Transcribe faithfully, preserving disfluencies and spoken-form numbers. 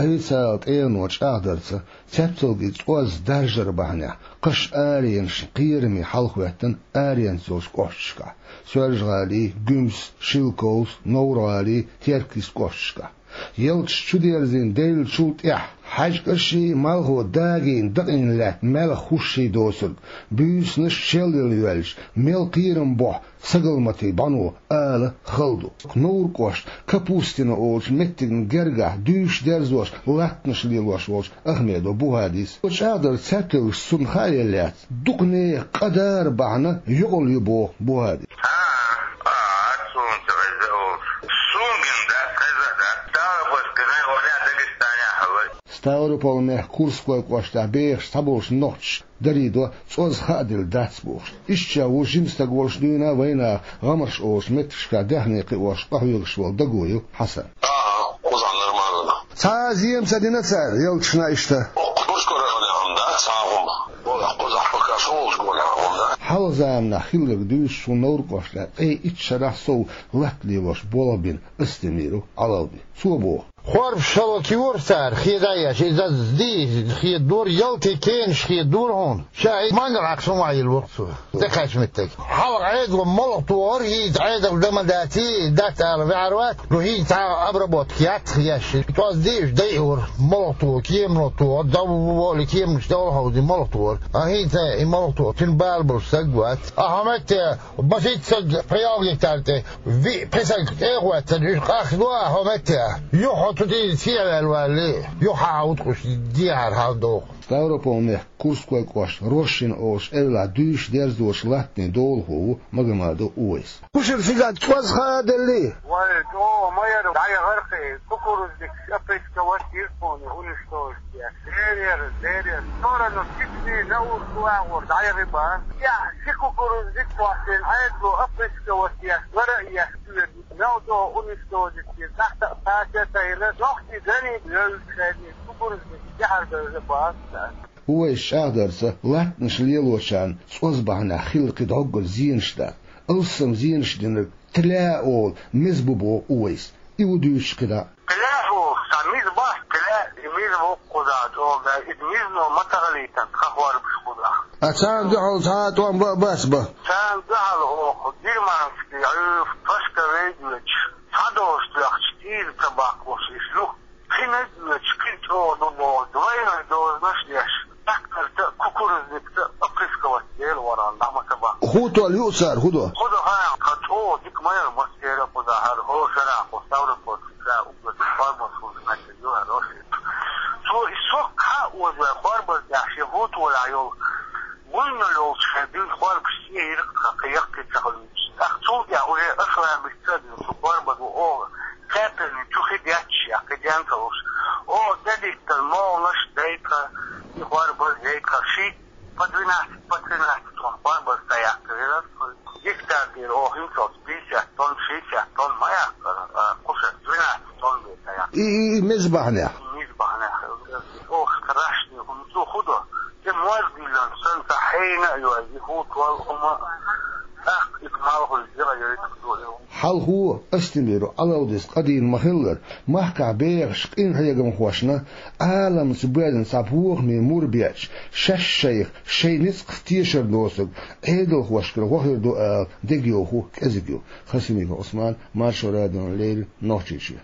Официалан тӀегӀано чӀагӀдарца, цаьпцалгий цӀоз даржар бахьанехь, кхаш аренашна кхераме хьал хӀоьттина аренца йолчу кӀошташкахь: Соьлжа-ГӀалий, Гуьмсан, Шелковски, Новр-ГӀалий, Теркйист кӀошташкахь. Ялташ чудерзийна девллачул тӀаьхьа хьаьжкӀашший, малхо дагийна дакъийна лаьтта маьлхан хӀушший доцург, буьйсанаш шелъяла йоьллаш, мел кхерам бохьу сагалматийн бӀано ала хала ду. Новр кӀоштан Капустино олучу меттигна гергахь дуьйш дерзош, латтанаш лелош волчу Ахмедов Бухадис. Цо чӀагӀдарца, цаьпцалгаш цунна хаа елла яц, дукха нехан къа дар бахьана йокъал ю боху Бухадис. А, а, а, суна ца хеза олуш. Суна гина дац, хеза дац. Ставропольская, най валя Дагестанехь хьала. Ставрополь-мехкан Курской кӀоштахь бехаш цхьаболчу нохчаша дарийдо, цӀоз хаа делла дац бохуш. Иштта ша ву жима стаг волуш дуьйна а вайнаха, ГӀамарш олучу меттигашкахь даьхни кхиош къахьоьгуш волу Дагуев Хьасан. Ага, кхузахь нормально. Цхьа а зема ца дина цара ялташна иштта? Оккху Курской районехь хӀума дац цхьа а хӀума. Кхузахь пока шо волчу гонехь хӀума дац. Хьалха заманахь хилларг дуьйцуш, хӀун Новр кӀоштахь ткъе итт шарахь сов латта лелош болх бина Астемиров Ӏалавди. Цо боху: хорпаш шалла кийра цара, хеда еш, иза дий, хедора, ялтин кенаш хедора хьуна. Ша и мангал Ӏакхаш хӀума йилла ву-кх цо, тӀекхаьчна меттиг. Хьалха Ӏедало молха тухура, хӀинца Ӏедал дан ма даций, дац ала ваьхьар вац, ну хӀинца цхьа обработка яц еш. ТӀоз дийш дайора, молха туху, кемано туху, дов волу кеманаш довла хьовзий молха тухура. А хӀинца и молха туху, цуьнан бала болуш стаг вац. Ахьа метте, масийтта стаг пхи-ялх гектар тӀе, виъ-пхи стаг тӀе а хӀоьттина, уьш къахка до а хьо метте. Юха хьо цу тӀе сехьаваьлла валале, юха хьан уткъуш дехьара хьал доху. Ставрополь-мехкан Курской кӀоштан Рощино олучу эвлахь дуьйш дерзочу латтанийн долахо ву Магомадов Увайс. Кхушара цигахь цӀоз хаа деллий? Вай, чӀогӀа ма яра, дӀаяхара-кх и, кукурузник опрысковать йира тхуна, уничтожить еш. Дерера, дерера. Сторону Чечни, Науру агӀор дӀаяхи бан. Я, ши кукурузник кхоьссина, Ӏедало опрысковать еш, лара а еш, мел догӀу уничтожить йира. Тахта а кхача а тайна, нохчий граница йевзаш шайна кукурузник тӀаьхьара бевза бац. Увайс чӀагӀдарца, латтанаш лелочарна цӀоз бахьанехь хилла кхин дӀоггара зенаш дац. Алссам зенаш динарг тля олу меза бу боху Увайс. И ву дуьйцуш кхидӀа а. Тля олу, сан миза бац, тля, и миза бу кхузахь чӀогӀа, иза мизано ма тахалийтан тхан хорбаш кхузахь. А царна дуьхьал цхьа а тӀом бан а бац бан? Царна дуьхьал оха германский, Ӏуьйфа, пашка вейдоьчу, цхьа долуш тоьхча, тӀера ца баккхалуш иша ю. Кхин а доьдуш, кхин чӀогӀа ду боху, двойной дозанаш деш, тракторца а, кукурузникца а опрысковать дела варан дӀа ма ца бан. ХӀун толлу ю цара, хӀун до? ХӀун до хаьа, тхан чӀогӀа дика ма яра массеран а кхузахь, хӀара хӀора шарахь кху Ставропольский край уггар дика форма хӀума хӀоьттина ю хӀара Рощин. Цо и сок хьа а озаваь, хорбаза тӀехь шен хӀутталахь йолу, вуйна йолчу шайн дуьйна хорбаш схьа йира-кх тхан, кхин яккхий ца хуьлуьйтуш. ТӀаккха цул тӀаьхьа уже аша лаьмбица а дуьйна, шу хорбаза ву оха, кхаьппина чу хи детташ, я кхин ден ца луш. Оха тӀедиттина могӀанаш дайта, и хорбаз дайта, шийтта по двенадцать, по тринадцать тонн хорбаз ца яккхира. Гектар тӀера оха хӀинцалц пятьдесят тонн, шестьдесят тонн ма яккхара, а, кхушара двенадцать тонн бен ца яккхира. И, и, и меза бахьанехь? Меза бахьанехь. Оха страшный хӀума ду, хӀун до? И мозгилан санна ца хьайна а йой, и хӀутталу хӀума, тӀаккха и малхуьйту дела йойту ду и. Хьалхо Астемиров Ӏалавдис къадийна ма-хиллара, махкахь бехаш къинхьегамхошна, Ӏаламца боьзна цхьа бохаме мур беача, шаьш шайх шайн ницкъах тешар доцург Ӏедалхошкара гӀо хир ду ала дегайовхо кӀезиг ю. Хасимиков Ӏусман, Маршо радиона леррина, Нохчийчоь.